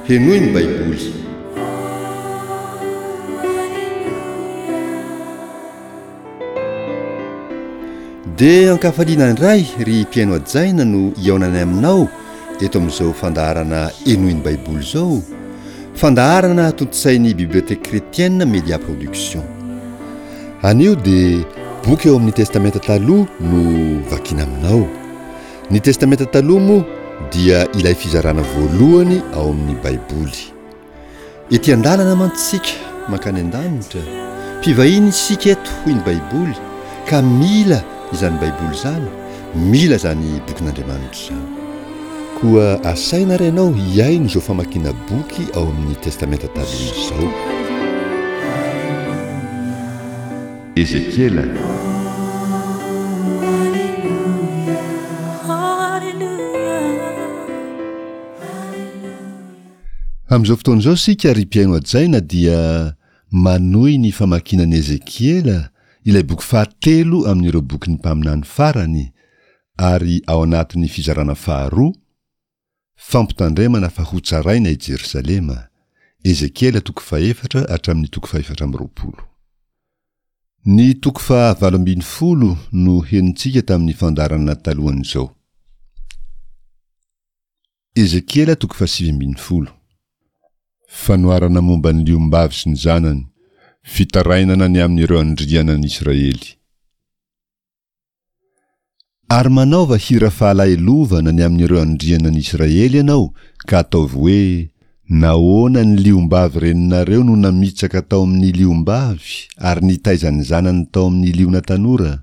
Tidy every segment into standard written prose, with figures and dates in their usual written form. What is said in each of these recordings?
Henoy ny Baiboly. Dia ankafaliana indray ry mpihaino hajaina no hihaonanay aminao eto amin'izao fandaharana Henoy ny Baiboly izao, fandaharana tontosain'ny Bibliothèque Chrétienne Média Production. Anio dia boky ao amin'ny Testamenta Taloha no vakiana aminao. Ny Testamenta Taloha moa dia ilay fizarana voalohany ao amin'ny Baiboly. Ety an-dalana mantsy isika mankany an-danitra, mpivahiny isika eto hoy ny Baiboly ka mila izany Baiboly izany, mila izany bokin'Andriamanitra izany. Koa asaina ary ianao hihaino izao famakiana boky ao amin'ny Testamenta Taloha izao. Ezekiela. Amin'izao fotoana izao isika ry mpihaino hajaina dia manohy ny famakiana an'i Ezekiela, ilay boky fahatelo amin'ireo bokin'ny mpaminany farany, ary ao anatin'ny fizarana faharoa, Fampitandremana fa hotsaraina i Jerosalema, Ezekiela toko fahefatra hatramin'ny toko fahefatra amby 20. Ny toko faha 18 no henontsika tamin'ny fandaharana talohan'izao. Ezekiela toko faha 19. Fanoharana momba ny liombavy sy ny zanany, fitarainana ny amin'ireo andrianan'Israely. Ary manaova hira fahalahelovana ny amin'ireo andrianan'i Israely ianao, ka ataovy hoe, Nahoana ny liombavy reninareo no namitsaka tao amin'ny liombavy ary nitaiza ny zanany tao amin'ny liona tanora?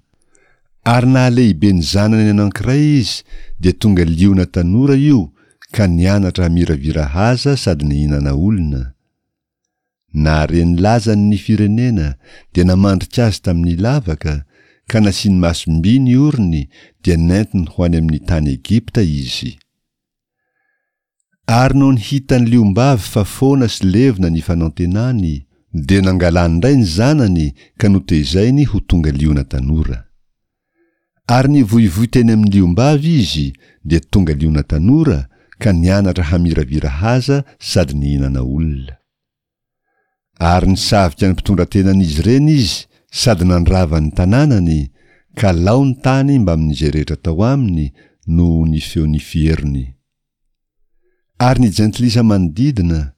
Ary nahalehibe ny zanany anankiray izy, dia tonga liona tanora io, ka nianatra hamiravira haza sady nihinana olona. Nahare ny lazany ny firenena dia namandrika azy tamin'ny lavaka, ka nasiany masom-by ny orony dia nentiny ho any amin'ny tany Egypta izy. Ary nony hitan'ny liombavy fa foana sy levona ny fanantenany, dia nangalany indray ny zanany ka notezainy ho tonga liona tanora. Ary nivoivoy teny amin'ny liombavy izy, dia tonga liona tanora, ka nianatra hamiravira haza sady nihinana olona. Ary nisavika ny mpitondra-tenan'izy ireny izy sady nandrava ny tanànany, ka lao ny tany mbamin'izay rehetra tao aminy noho ny feon'ny fierony. Ary ny jentilisa manodidina,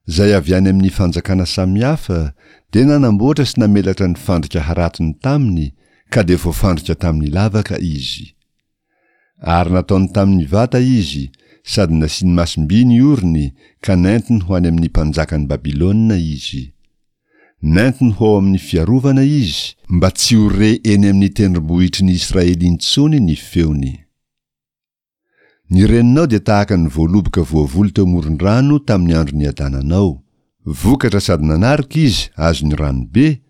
izay avy any amin'ny fanjakana samihafa, dia nanamboatra sy namelatra ny fandrika haratony taminy, ka dia voafandrika tamin'ny lavaka izy. Ary nataony tamin'ny vata izy, sady nasiany masom-by ny orony, ka nentiny ho any amin'ny mpanjakan'i Babylona izy. Nentiny ho ao amin'ny fiarovana izy, mba tsy ho re eny amin'ny tendrombohitry ny Israely intsony ny feony. Ny reninao dia tahaka ny voaloboka voavoly teo amoron-drano tamin'ny andro niadananao. Vokatra sady nanarika izy azon'ny rano be,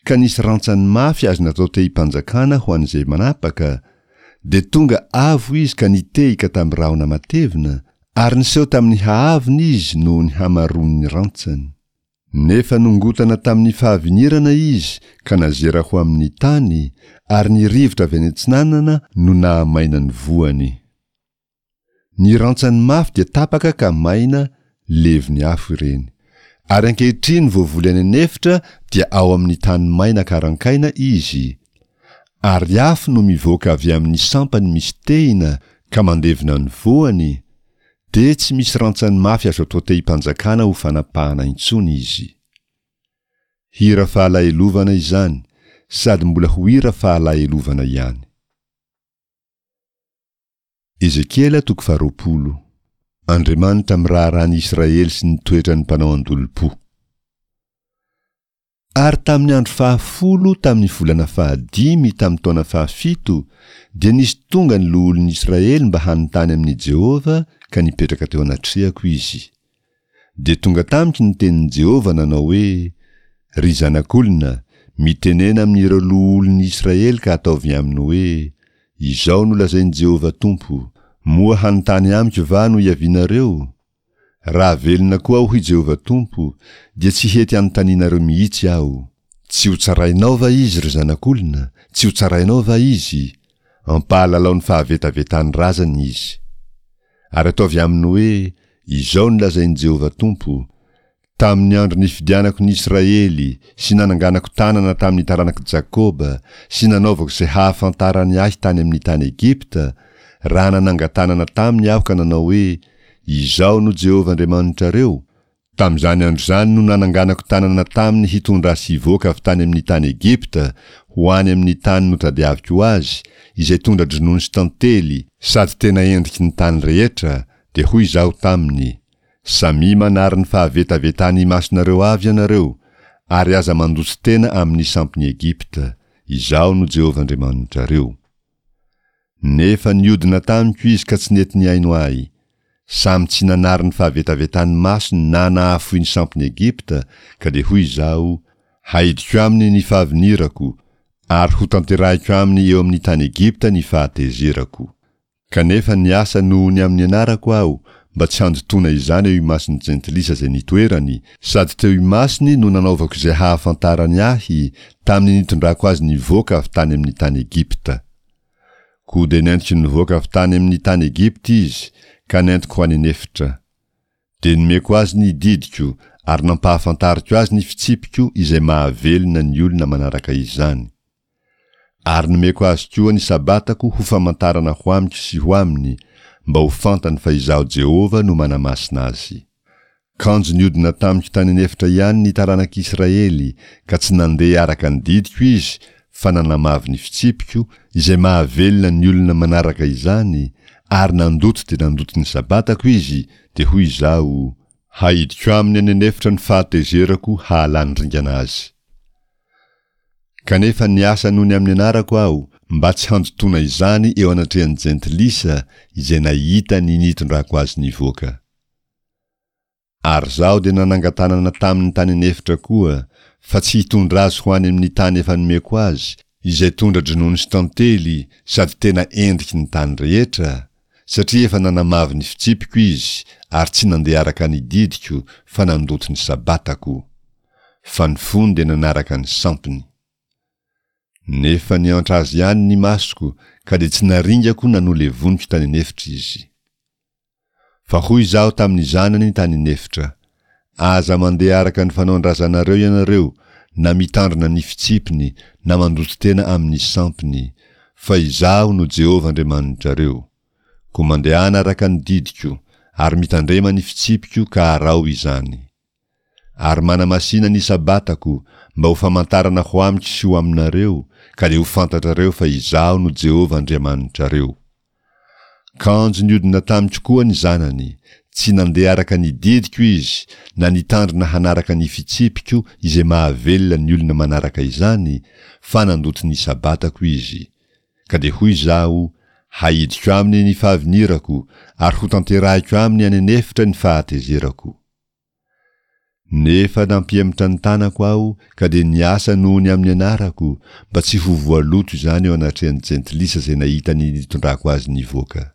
ka nisy rantsany mafy azo natao tehim-panjakana ho an'izay manapaka, dia tonga avo izy ka nitehika tamin'ny rahona matevina, ary niseho tamin'ny haavony izy noho ny hamaroan'ny rantsany. Nefa nongotana tamin'ny fahavinirana izy ka nazera ho amin'ny tany, ary ny rivotra avy any atsinanana no nahamaina ny voany. Ny rantsany mafy dia tapaka ka maina, levon'ny afo ireny. Ary ankehitriny voavoly any an'efitra dia ao amin'ny tany maina karankaina izy, ary afo no mivoaka avy amin'ny sampany misy tehina ka mandevona ny voany, Dia tsy misy rantsany mafy azo atao tehim-panjakana ho fanapahana intsony izy. Hira fahalahelovana izany, sady mbola ho hira fahalahelovana ihany. Ezekiela toko faharoapolo. Andriamanitra miraharaha ny Israely sy ny toetran'ny mpanao an-dolompo. Ary tamin'ny andro fahafolo tamin'ny volana fahadimy tamin'ny taona fahafito dia nisy tonga ny loholon'ny Israely mba hanontany amin'i Jehovah ka nipetraka teo anatrehako izy. Dia tonga tamiko ny tenin'i Jehovah nanao hoe, Ry zanak'olona, mitenena amin'ireo loholon'ny Israely ka ataovy aminy hoe, Izao no lazain'i Jehovah Tompo, Moa hanontany amiko va no iavianareo? Raha velona koa aho, hoy Jehovah Tompo, dia tsy hety hanontanianareo mihitsy aho. Tsy hotsarainao va izy, ry zanak'olona? Tsy hotsarainao va izy? Ampahalalao ny fahavetavetan'ny razany izy. Ary ataovy aminy hoe, Izao no lazain'i Jehovah Tompo, Tamin'ny andro nifidianako ny Israely sy nananganako tanana tamin'ny taranak'i Jakoba sy nanaovako izay hahafantarany ahy tany amin'ny tany Egypta, raha nanangan-tanana taminy aho ka nanao hoe, Izaho no Jehovah Andriamanitrareo, tamin'izany andro izany no nananganako tanana taminy hitondra azy hivoaka avy tany amin'ny tany Egypta ho any amin'ny tany notadiaviko ho azy, izay tondra-dronono sy tantely, sady tena endriky ny tany rehetra, dia hoy izaho taminy, Samia manary ny fahavetavetany imasonareo avy ianareo, ary aza mandoto tena amin'ny sampin'i Egypta, Izaho no Jehovah Andriamanitrareo. Nefa niodina tamiko izy ka tsy nety nihaino ahy. Samy tsy nanary ny fahavetavetany masony na nahafoy ny sampin'i Egypta, ka dia hoy izaho, Haidiko aminy ny fahavinirako, ary hotanterahiko aminy eo amin'ny tany Egypta ny fahatezerako. Kanefa niasa noho ny amin'ny anarako aho, mba tsy handotoana izany eo imason'ny jentilisa izay nitoerany, sady teo imasony no nanaovako izay hahafantarany ahy, tamin'ny nitondrako azy nivoaka avy tany amin'ny tany Egypta. Koa dia nentiko nivoaka avy tany amin'ny tany Egypta izy, ka nentiko ho any an'efitra. Dia nomeko azy ny didiko, ary nampahafantariko azy ny fitsipiko izay mahavelona ny olona manaraka izany. Ary nomeko azy koa ny Sabatako ho famantarana ho amiko sy ho aminy, mba ho fantany fa Izaho Jehovah no manamasina azy. Kanjo niodina tamiko tany an'efitra ihany ny taranak'Israely, ka tsy nandeha araka ny didiko izy, fa nanamavo ny fitsipiko, izay mahavelona ny olona manaraka izany, ary nandoto dia nandoto ny Sabatako izy, dia hoy Izaho, Haidiko aminy any an'efitra ny fahatezerako hahalany ringana azy. Kanefa niasa noho ny amin'ny anarako aho, mba tsy handotoana izany eo anatrehan'ny Jentilisa izay nahita ny nitondrako azy nivoaka. Ary izaho dia nanangan-tanana taminy tany an'efitra koa, fa tsy hitondra azy ho any amin'ny tany efa nomeko azy, izay tondra-dronono sy tantely sady tena endriky ny tany rehetra, satria efa nanamavo ny fitsipiko izy ary tsy nandeha araka ny didiko fa nandoto ny Sabatako. Fa ny fony dia nanaraka ny sampiny. Nefa niantra azy ihany ny masoko ka dia tsy naringako na nolevoniko tany an'efitra izy. Fa hoy izaho tamin'ny zanany tany an'efitra, Aza mandeha araka ny fanaon-drazanareo ianareo, na mitandrina ny fitsipiny, na mandoto tena amin'ny sampiny, fa Izaho no Jehovah Andriamanitrareo. Koa mandehana araka ny didiko, ary mitandrema ny fitsipiko ka araho izany. Ary manamasina ny Sabatako, mba ho famantarana ho amiko sy ho aminareo, ka dia ho fantatrareo fa Izaho no Jehovah Andriamanitrareo. Kanjo niodina tamiko koa ny zanany, tsy nandeha araka ny didiko izy, na nitandrina hanaraka ny fitsipiko izay mahavelona ny olona manaraka izany, fa nandoto ny Sabatako izy. Ka dia hoy izaho, Haidiko aminy ny fahavinirako, ary hotanterahiko aminy any an'efitra ny fahatezerako. Nefa nampihemotra ny tanako aho ka dia niasa noho ny amin'ny anarako, mba tsy ho voaloto izany eo anatrehan'ny jentilisa izay nahita ny nitondrako azy nivoaka.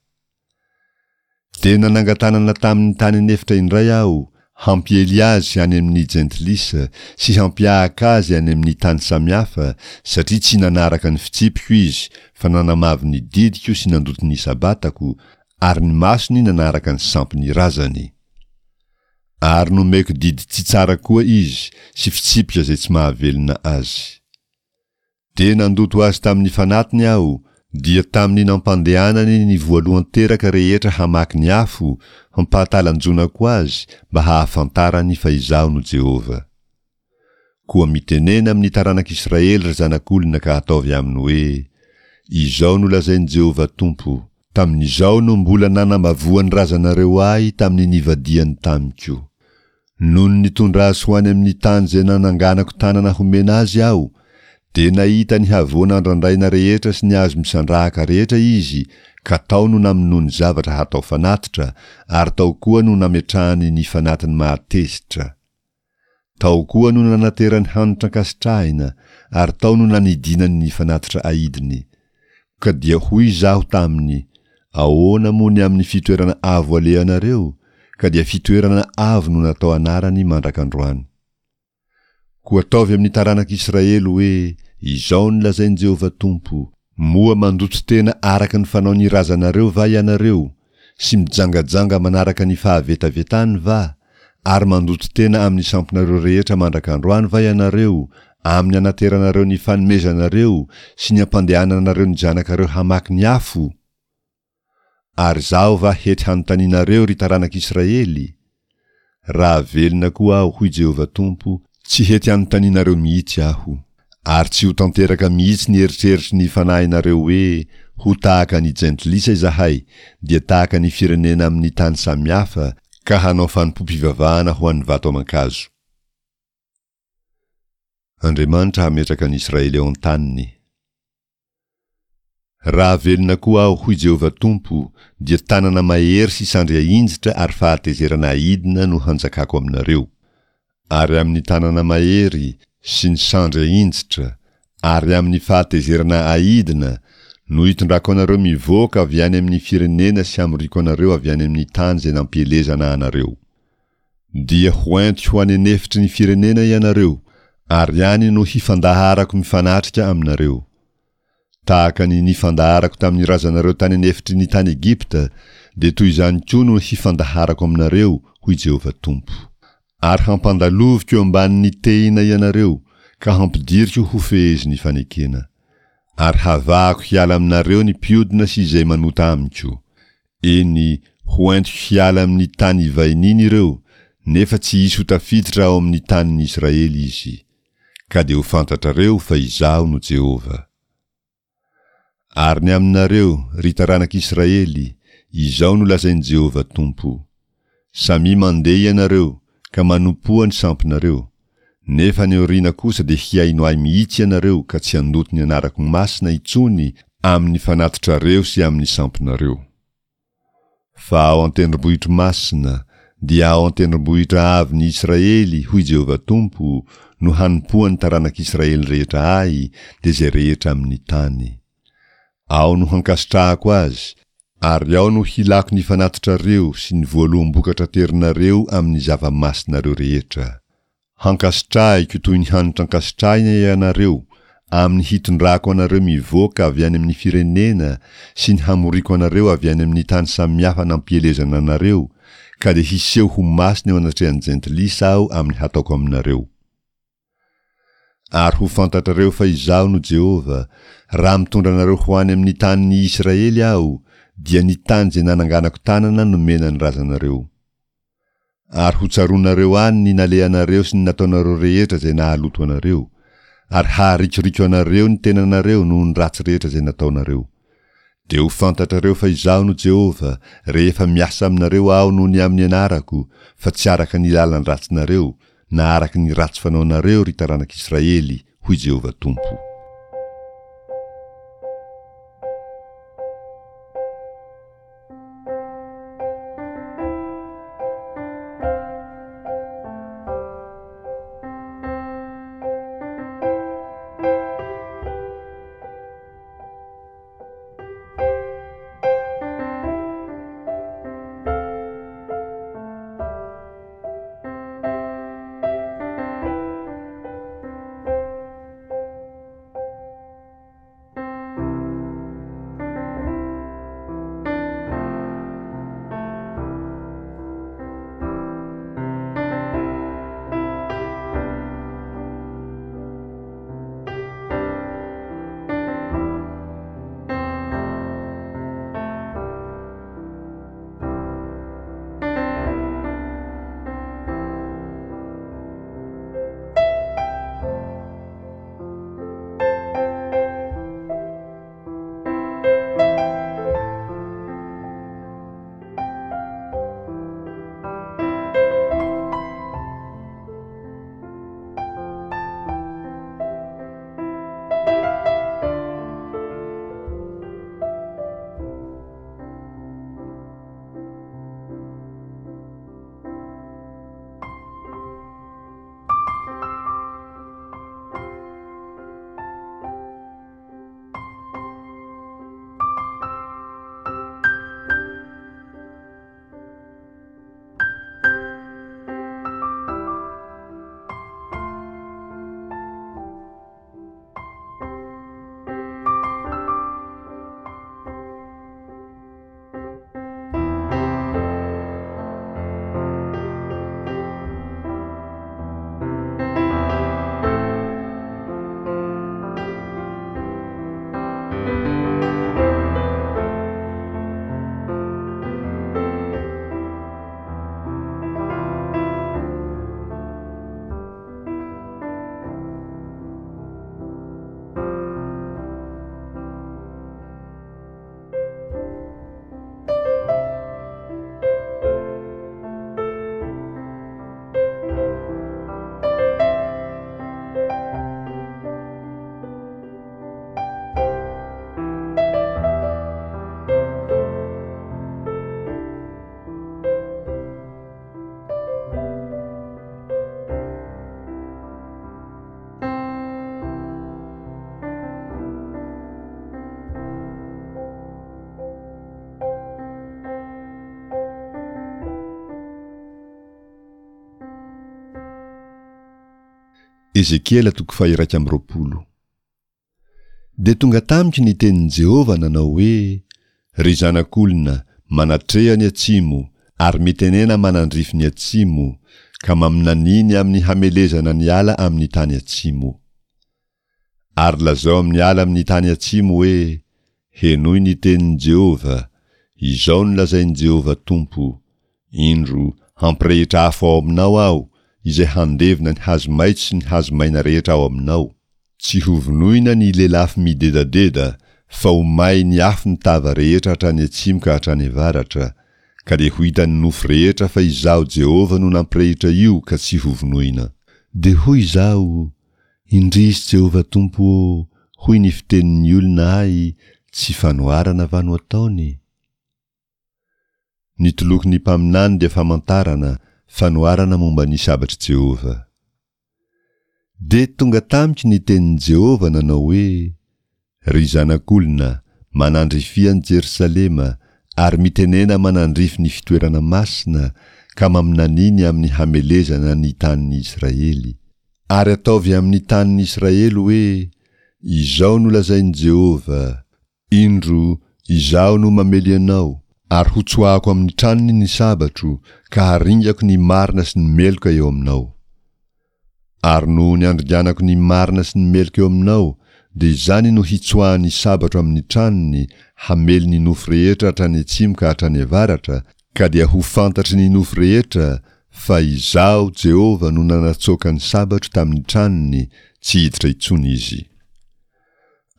Dia nanangan-tanana taminy tany an'efitra indray aho, hampiely azy any amin'ny jentilisa sy hampiahaka azy any amin'ny tany samihafa, satria tsy nanaraka ny fitsipiko izy, fa nanamavo ny didiko sy nandoto ny Sabatako, ary ny masony nanaraka ny sampin'ny razany. Ary nomeko didy tsy tsara koa izy sy fitsipika izay tsy mahavelona azy. Dia nandoto azy tamin'ny fanatiny aho, dia tamin'ny nampandehanany ny voalohan-teraka rehetra hamaky ny afo, hampahatalanjonako azy mba hahafantarany fa Izaho no Jehovah. Koa mitenena amin'ny taranak'Israely ry zanak'olona ka ataovy aminy hoe, Izao no lazain'i Jehovah Tompo, Tamin'izao no mbola nanambavoan'ny razanareo ahy tamin'ny nivadihany tamiko. Nony nitondra azy ho any amin'ny tany izay nananganako tanana homena azy aho, dia nahita ny havoana andrandraina rehetra sy ny hazo misandrahaka rehetra izy, ka tao no namonoany zavatra hatao fanatitra, ary tao koa no nametrahany ny fanatiny mahatezitra. Tao koa no nanaterany hanitra ankasitrahina, ary tao no nanidinany ny fanatitra aidiny. Ka dia hoy izaho taminy, Ahoana moa ny amin'ny fitoerana avo alehanareo? Ka dia fitoerana avo no natao anarany mandrak'androany. Koa ataovy amin'ny taranak'Israely hoe, Izao no lazain'i Jehovah Tompo, Moa mandoto tena araka ny fanaon'ny razanareo va ianareo? sy mijangajanga manaraka ny fahavetavetany va, ary mandoto tena amin'ny sampinareo rehetra mandraka androany va ianareo, amin'ny anateranareo ny fanomezanareo sy ny ampandehananareo ny zanakareo hamaky ny afo? Ary Izaho va hety hanontanianareo, ry taranak'Israely? Raha velona koa Aho, hoy Jehovah Tompo, tsy hety hanontanianareo mihitsy Aho. Ary tsy ho tanteraka mihitsy ny eritreritry ny fanahinareo hoe, Ho tahaka ny jentilisa izahay, dia tahaka ny firenena amin'ny tany samihafa, ka hanao fanompoam-pivavahana ho an'ny vato aman-kazo. Andriamanitra hametraka an'i Israely ao an-taniny. Raha velona koa Aho, hoy Jehovah Tompo, dia tanana mahery sy sandry ahinjitra ary fahatezerana aidina no hanjakako aminareo. Ary amin'ny tanana mahery sy ny sandry ahinjitra ary amin'ny fahatezerana aidina no hitondrako anareo mivoaka avy any amin'ny firenena sy hamoriako anareo avy any amin'ny tany izay nampielezana anareo. Dia ho entiko ho any an'efitry ny firenena ianareo, ary any no hifandaharako mifanatrika aminareo. Tahaka ny nifandaharako tamin'ny razanareo tany an'efitry ny tany Egypta, dia toy izany koa no hifandaharako aminareo, hoy Jehovah Tompo. Ary hampandaloviko eo ambanin'ny tehina ianareo, ka hampidiriko ho fehezin'ny fanekena. Ary havahako hiala aminareo ny mpiodina sy izay manota amiko. Eny, ho entiko hiala amin'ny tany ivahiniany ireo, nefa tsy hisy ho tafiditra ao amin'ny tanin'ny Israely izy. Ka dia ho fantatrareo fa Izaho no Jehovah. Ary ny aminareo, ry taranak'Israely, izao no lazain'i Jehovah Tompo, Samia mandeha ianareo, ka manompoa ny sampinareo, nefa any aoriana kosa dia hihaino Ahy mihitsy ianareo ka tsy handoto ny anarako masina intsony amin'ny fanatitrareo sy amin'ny sampinareo. Fa ao an-tendrombohitro masina, dia ao an-tendrombohitra avon'i Israely, hoy Jehovah Tompo, no hanompoan'ny taranak'Israely rehetra Ahy, dia izay rehetra amin'ny tany. Ao no hankasitrahako azy, ary ao no hilako ny fanatitrareo sy ny voaloham-bokatra aterinareo amin'ny zava-masinareo rehetra. Hankasitrahiko toy ny hanitra ankasitrahina ianareo, amin'ny hitondrako anareo mivoaka avy any amin'ny firenena sy ny hamoriako anareo avy any amin'ny tany samihafa nampielezana anareo, ka dia hiseho ho masina eo anatrehan'ny jentilisa Aho amin'ny hataoko aminareo. Ary ho fantatrareo fa Izaho no Jehovah, raha mitondra anareo ho any amin'ny tanin'ny Israely Aho, dia ny tany izay nananganako tanana nomena ny razanareo. Ary hotsaroanareo any ny nalehanareo sy ny nataonareo rehetra izay nahaloto anareo, ary haharikoriko anareo ny tenanareo noho ny ratsy rehetra izay nataonareo. Dia ho fantatrareo fa Izaho no Jehovah, rehefa miasa aminareo Aho noho ny amin'ny anarako, fa tsy araka ny lalan-dratsinareo, na araka ny ratsy fanaonareo, ry taranak'Israely, hoy Jehovah Tompo. Ezekiela toko faha-21. Dia tonga tamiko ny tenin'i Jehovah nanao hoe, Ry zanak'olona, manatreha ny atsimo, ary mitenena manandrify ny atsimo, ka maminania ny amin'ny hamelezana ny ala amin'ny tany atsimo. Ary lazao amin'ny ala amin'ny tany atsimo hoe, Henoy ny tenin'i Jehovah, Izao no lazain'i Jehovah Tompo, Indro, hampirehitra afo ao aminao Aho, izay handevona ny hazo maitso sy ny hazo maina rehetra ao aminao. Tsy hovonoina ny lelafo midedadeda, fa ho may ny afo ny tava rehetra hatrany atsimo ka hatrany avaratra, ka dia ho hitan'ny nofo rehetra fa Izaho Jehovah no nampirehitra io ka tsy hovonoina. Dia hoy izaho, Indrisy Jehovah Tompo ô, hoy ny fitenin'ny olona ahy, tsy fanoharana va no ataony? Ny tolokon'ny mpaminany dia famantarana, fanoharana momba ny sabatr'i Jehovah. Dia tonga tamiko ny tenin'i Jehovah nanao hoe, Ry zanak'olona, manandrifia an'i Jerosalema, ary mitenena manandrify ny fitoerana masina, ka maminania ny amin'ny hamelezana ny tanin'i Israely. Ary ataovy amin'ny tanin'i Israely hoe, Izao no lazain'i Jehovah, Indro, Izaho no mamely anao, ary hotsoahako amin'ny tranony ny sabatro, ka haringako ny marina sy ny meloka eo aminao. Ary noho ny andringanako ny marina sy ny meloka eo aminao, dia izany no hitsoahan'ny sabatro amin'ny tranony, hamely ny nofo rehetra hatrany atsimo ka hatrany avaratra, ka dia ho fantatry ny nofo rehetra fa Izaho Jehovah no nanatsoaka ny sabatro tamin'ny tranony, tsy hiditra intsony izy.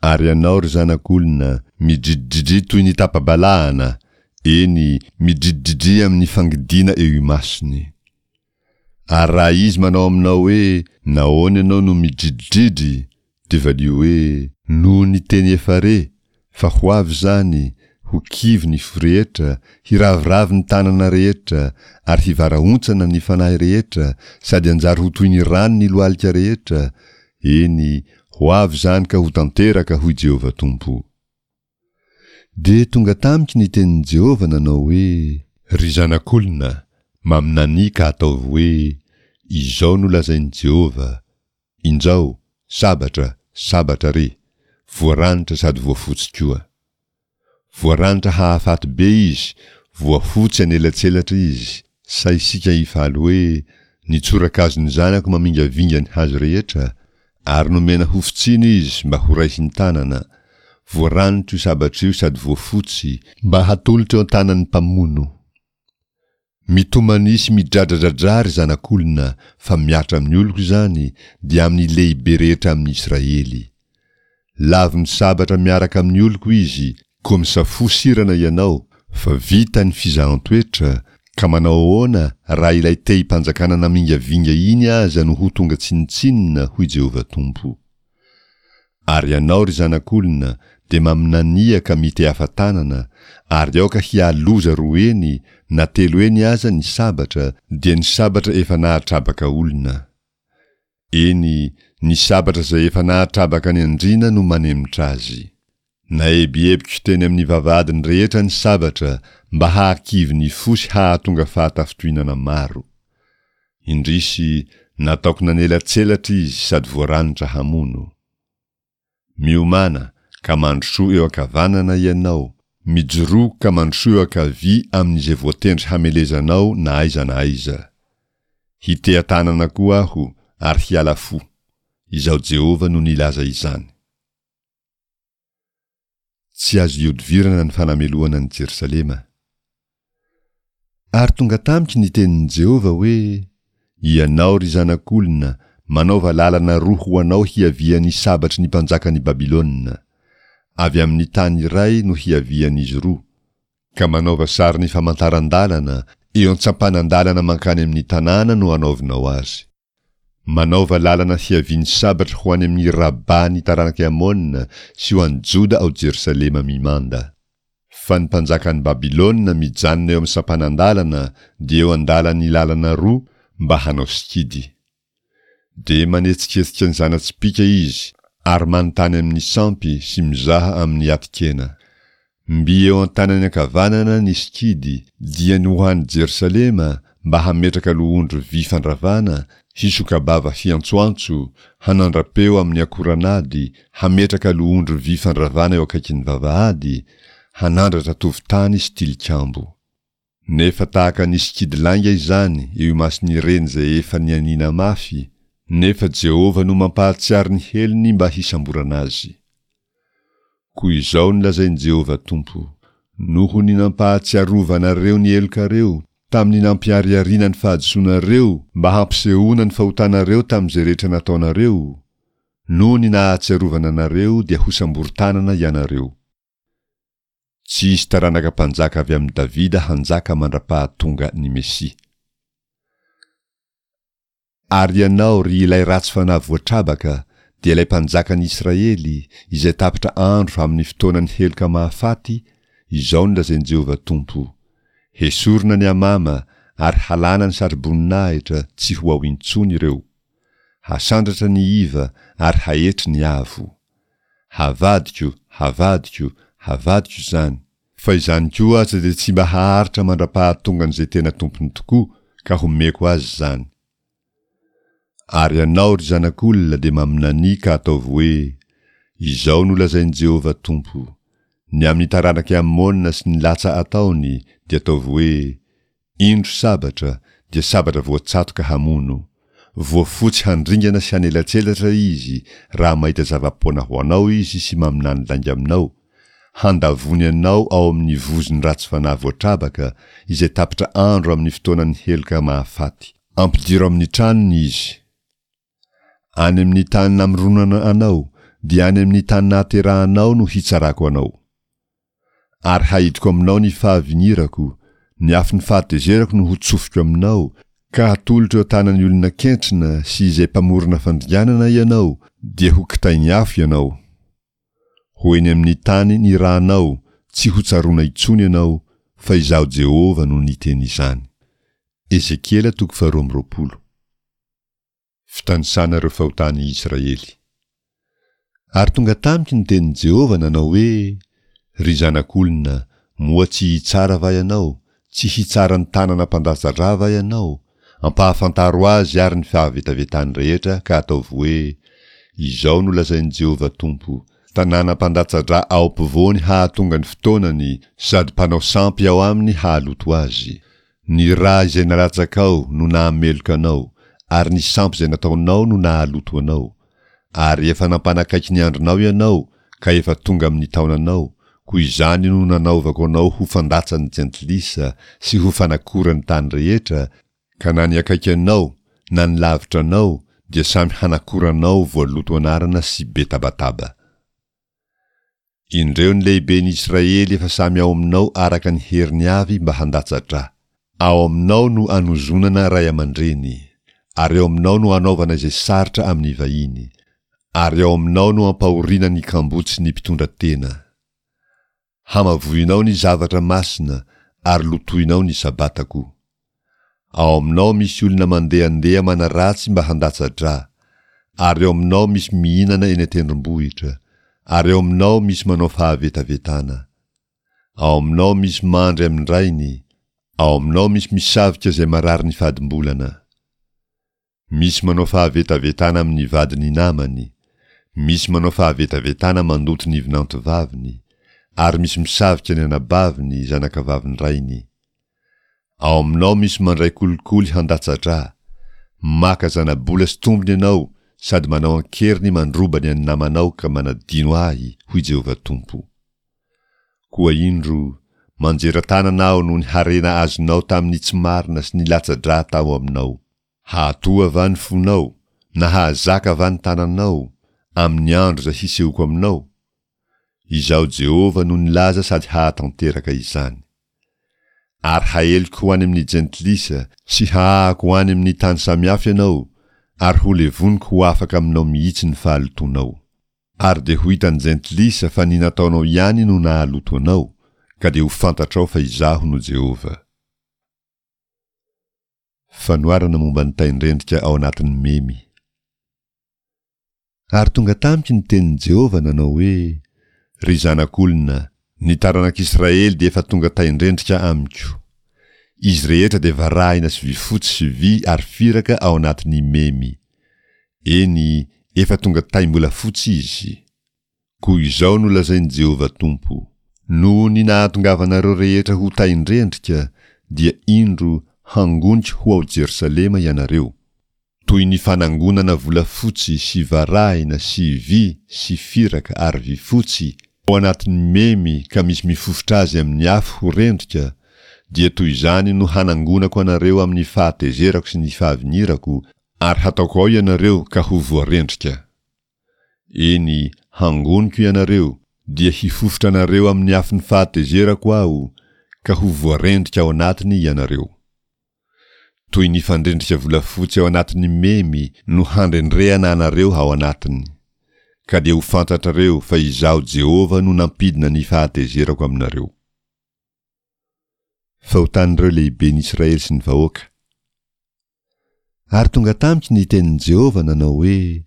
Ary ianao, ry zanak'olona, midridridria toy ny tapa-balahana, eny, midridridria amin'ny fangidiana eo imasony. Ary raha izy manao aminao hoe, Nahoana ianao no midridridry? dia valio hoe, Noho ny teny efa re, fa ho avy izany, ho kivy ny fo rehetra, hiraviravy ny tanana rehetra, ary hivarahontsana ny fanahy rehetra, sady hanjary ho toy ny rano ny lohalika rehetra, eny, ho avy izany ka ho tanteraka, hoy Jehovah Tompo. Dia tonga tamiko ny tenin'i Jehovah nanao hoe. Ry zanak'olona, maminania ka ataovy hoe, 'Izao no lazain'i Jehovah, Injao, sabatra, sabatra re, voaranitra sady voafotsy koa. Voaranitra hahafaty be izy, voafotsy anelatselatra izy, sa isika hifaly hoe, Ny tsorakazon'ny zanako mamingavinga ny hazo rehetra? Ary nomena hofotsiana izy mba horaisin-tanana, voaranitra io sabatra io sady voafotsy, mba hatolotra eo an-tanan'ny mpamono. Mitomania sy midradradradrà ry zanak'olona, fa mihatra amin'ny oloko izany, dia amin'ny lehibe rehetra amin'ny Israely. Lavon'ny sabatra miaraka amin'ny oloko izy, koa misafoa sirana ianao, fa vita ny fizahan-toetra, ka manao ahoana raha ilay tehim-panjakana namingavinga iny aza no ho tonga tsinontsinona, hoy Jehovah Tompo. Ary ianao, ry zanak'olona, dia maminania ka mitehafa-tanana, ary aoka hialoza roa heny na telo heny aza ny sabatra, dia ny sabatra efa nahatrabaka olona. Eny, ny sabatra izay efa nahatrabaka ny andriana no manemitra azy. Naebiebiko teny amin'ny vavahadiny rehetra ny sabatra mba hahakivy ny fo sy hahatonga fahatafintohinana maro. Indrisy, nataoko nanelatselatra izy sady voaranitra hamono. Miomàna, ka mandrosoa eo ankavanana ianao, mijoroa ka mandrosoa eo ankavia amin'izay voatendry hamelezanao na aiza na aiza. Hiteha-tanana koa Aho ary hiala fo. Izaho Jehovah no nilaza izany. Tsy azo ihodivirana ny fanamelohana an'i Jerosalema. Ary tonga tamiko ny tenin'i Jehovah hoe, Ianao, ry zanak'olona, manaova lalana roa ho anao hiavian'ny sabatry ny mpanjakan'i Babylona. Avy amin'ny tany iray no hiavian'izy roa, ka manaova sarin'ny famantaran-dalana, eo an-tsampanan-dalana mankany amin'ny tanàna no anaovinao azy. Manaova lalana hiavian'ny sabatra ho any amin'i Rabà ny taranak'i Amona sy ho an'i Joda ao Jerosalema mimanda. Fa ny mpanjakan'i Babylona mijanona eo amin'ny sampanan-dalana dia eo an-dalan'ny lalana roa mba hanao sikidy. Dia manetsiketsika ny zana-tsipìka izy ary manontany amin'ny sampy sy mizaha amin'ny atin-kena. Mby eo an-tanany ankavanana ny sikidy, dia ny ho any Jerosalema. mba hametraka lohondry vy fandravana, hisoka-bava hiantsoantso, hanandra-peo amin'ny akoran'ady, hametraka lohondry vy fandravana eo akaikin'ny vavahady, hanandratra tovon-tany sy tilikambo. Nefa tahaka ny sikidy lainga izany eo imason'ireny izay efa nianiana mafy, nefa Jehovah no mampahatsiaro ny helony mba hisamborana azy. Koa izao no lazain'i Jehovah Tompo, Noho ny nampahatsiarovanareo ny helokareo, tamin'ny nampiharihariana ny fahadisoanareo mba hampisehoana ny fahotanareo tamin'izay rehetra nataonareo, noho ny nahatsiarovana anareo dia hosamborin-tanana ianareo. Tsy hisy taranaka mpanjaka avy amin'i Davida hanjaka mandra-pahatonga ny Mesia. Ary ianao, ry ilay ratsy fanahy voatrabaka, dia ilay mpanjakan'i Israely, izay tapitra andro amin'ny fotoanan'ny heloka mahafaty, izao no lazain'i Jehovah Tompo, Hesorina ny amama ary halana ny satroboninahitra, tsy ho ao intsony ireo. Hasandratra ny iva ary haetry ny avo. Havadiko, havadiko, havadiko izany, fa izany koa aza dia tsy mba haharitra mandra-pahatongan'izay tena tompony tokoa ka homeko azy izany. Ary ianao, ry zanak'olona, dia maminania ka ataovy hoe, Izao no lazain'i Jehovah Tompo, Ny amin'ny taranak'i Amona sy ny latsa ataony, dia ataovy hoe, Indro sabatra, dia sabatra voatsatoka hamono. Voafotsy handringana sy hanelatselatra izy raha mahita zava-poana ho anao izy sy maminany lainga aminao, handavony anao ao amin'ny vozon'ny ratsy fanahy voatrabaka izay tapitra andro amin'ny fotoanan'ny heloka mahafaty. Ampidiro amin'ny tranony izy. Any amin'ny tany namoronana anao, dia any amin'ny tany nahaterahanao no hitsarako anao. Ary haidiko aminao ny fahavinirako, ny afon'ny fahatezerako no hotsofiko aminao, ka hatolotro eo an-tanan'ny olona kentrina sy izay mpamorona fandringanana ianao, dia ho kitain'ny afo ianao. Ho eny amin'ny tany nirahanao, tsy hotsaroana intsony ianao, fa Izaho Jehovah no niteny izany. Ezekiela toko faharoa amby roapolo. Fitanisana ireo fahotan'i Israely. Ary tonga tamiko ny tenin'i Jehovah nanao hoe, Ry zanak'olona, moa tsy hitsara va ianao, tsy hitsara ny tanana mpandatsa-dra va ianao? Ampahafantaro azy àry ny fahavetavetany rehetra ka ataovy hoe, Izao no lazain'i Jehovah Tompo, Tanàna mpandatsa-dra ao ampovoany hahatonga ny fotoanany sady mpanao sampy ao aminy hahaloto azy. Ny ra izay nalatsakao no nahameloka anao, ary ny sampy izay nataonao no nahaloto anao. Ary efa nampanakaiky ny andronao ianao, ka efa tonga amin'ny taonanao, koa izany no nanaovako anao ho fandatsan'ny jentilisa sy ho fanakoran'ny tany rehetra, ka na ny akaiky anao na ny lavitra anao dia samy hanakora anao voaloto anarana sy be tabataba. Indreo ny lehiben'i Israely efa samy ao aminao araka ny heriny avy mba handatsa-dra. Ao aminao no anozonana ray aman-dreny, ary ao aminao no anaovana izay sarotra amin'ny vahiny, ary ao aminao no ampahoriana ny kamboty sy ny mpitondra tena. Hamavoinao ny zavatra masina ary lotoinao ny Sabatako. Ao aminao misy olona mandehandeha manaratsy mba handatsa-drà, ary ao aminao misy mihinana eny an-tendrombohitra, ary ao aminao misy manao fahavetavetana. Ao aminao misy mandry amin-drainy, ao aminao misy misavika izay marary ny fadimbolana. Misy manao fahavetavetana amin'ny vadin'ny namany, misy manao fahavetavetana mandoto ny vinantovaviny, ary misy misavika ny anabaviny, zanakavavin-drainy. Ao aminao misy mandray kolikoly handatsa-drà, maka zana-bola sy tombony ianao sady manao an-keriny mandroba ny an'ny namanao ka manadino Ahy, hoy Jehovah Tompo. Koa indro, manjera tanana Aho noho ny harena azonao tamin'ny tsy marina sy ny latsa-drà tao aminao. Hahatoha va ny fonao, na hahazaka va ny tananao, amin'ny andro izay hisehoako aminao? Izaho Jehovah no nilaza sady hahatanteraka izany. Ary haeliko ho any amin'ny jentilisa sy hahahako ho any amin'ny tany samihafa ianao, ary holevoniko ho afaka aminao mihitsy ny fahalotoanao. Ary dia ho hitan'ny jentilisa fa ny nataonao ihany no nahaloto anao, ka dia ho fantatrao fa Izaho no Jehovah. Fanoharana momba ny tain-drendrika ao anatin'ny memy. Ary tonga tamiko ny tenin'i Jehovah nanao hoe, Ry zanak'olona, ny taranak'Israely dia efa tonga tain-drendrika amiko. Izy rehetra dia varahina sy vifotsy sy vy ary firaka ao anatin'ny memy. Eny, efa tonga taim-bolafotsy izy. Koa izao no lazain'i Jehovah Tompo, Noho ny nahatongavanareo rehetra ho tain-drendrika, dia indro, hangoniko ho ao Jerosalema ianareo, toy ny fanangonana volafotsy sy varahina sy vy sy firaka ary vifotsy ao anatin'ny memy ka misy mifofotra azy amin'ny afo ho rendrika, dia toy izany no hanangonako anareo amin'ny fahatezerako sy ny fahavinirako, ary hataoko ao ianareo ka ho voarendrika. Eny, hangoniko ianareo, dia hifofotra anareo amin'ny afon'ny fahatezerako Aho, ka ho voarendrika ao anatiny ianareo. Toy ny fandrendrika volafotsy ao anatin'ny memy no handrendrehana anareo ao anatiny. Ka dia ho fantatrareo fa Izaho Jehovah no nampidina ny fahatezerako aminareo. Fahotan'ireo lehiben'i Israely sy ny vahoaka. Ary tonga tamiko ny tenin'i Jehovah nanao hoe,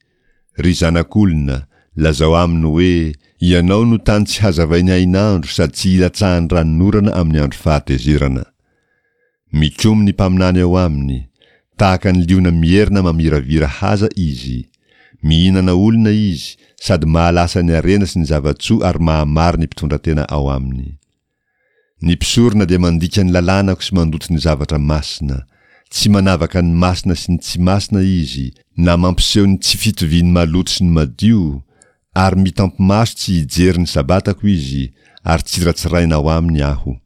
Ry zanak'olona, lazao aminy hoe, 'Ianao no tany tsy hazavain'ny hainandro sady tsy ilatsahan'ny ranonorana amin'ny andro fahatezerana. Mikomy ny mpaminany ao aminy, tahaka ny liona mierona mamiravira haza izy. Mihinana olona izy, sady mahalasa ny harena sy ny zava-tsoa ary mahamaro ny mpitondratena ao aminy. Ny mpisorona dia mandika ny lalànako sy mandoto ny zavatra masina. Tsy manavaka ny masina sy ny tsy masina izy, na mampiseho ny tsy fitovian'ny maloto sy ny madio, ary mitampi-maso tsy hijery ny Sabatako izy, ary tsiratsiraina ao aminy Aho.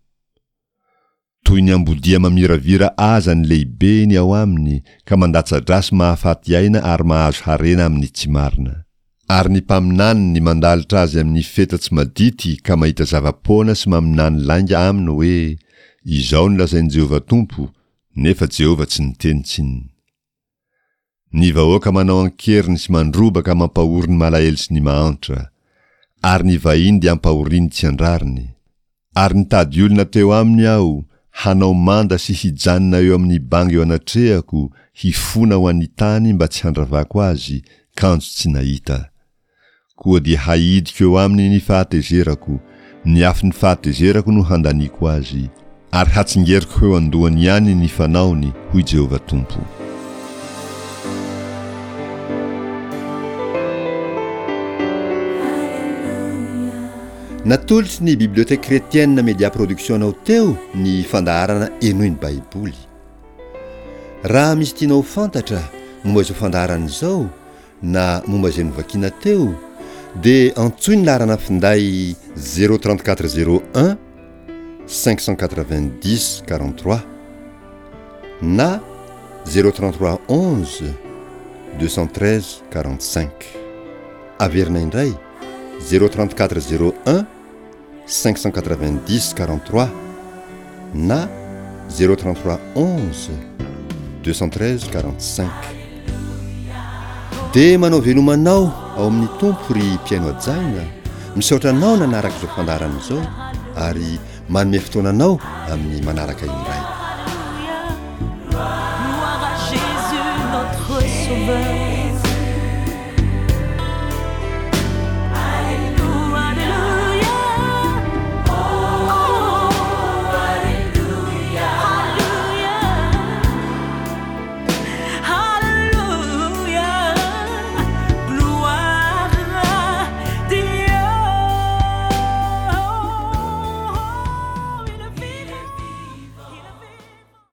Toy ny ambodia mamiravira aza ny lehibeny ao aminy ka mandatsa-drà sy mahafaty aina ary mahazo harena amin'ny tsy marina. Ary ny mpaminaniny mandalotra azy amin'ny feta tsy madity ka mahita zava-poana sy maminany lainga aminy hoe, Izao no lazain'i Jehovah Tompo, nefa Jehovah tsy niteny tsinona. Ny vahoaka manao an-keriny sy mandroba ka mampahory ny malahelo sy ny mahantra. Ary ny vahiny dia ampahoriany tsy an-drariny. Ary nitady olona teo aminy aho, hanao manda sy hijanona eo amin'ny banga eo anatrehako, hifona ho an'ny tany mba tsy handravako azy, kanjo tsy nahita. Koa dia haidiko eo aminy ny fahatezerako, ny afon'ny fahatezerako no handaniako azy, ary hatsingeriko ho eo an-dohany ihany ny fanaony, hoy Jehovah Tompo. Natolotry ny Bibliothèque Chrétienne Media Production anao teo ny fandaharana Henoy ny Baiboly. Raha misy tianao ho fantatra momba izao fandaharana izao na momba izay novakiana teo dia antsoy ny laharana finday 034 01 590 43 na 033 11 213 45. Averina indray. 034 01 590 43 na 033 11 213 45. Dia manao veloma anao ao amin'ny Tompo ry mpihaino hajaina, misaotra anao nanaraka izao fandaharana izao ary manome fotoana anao amin'ny manaraka indray. Gloire à Jésus notre sauveur.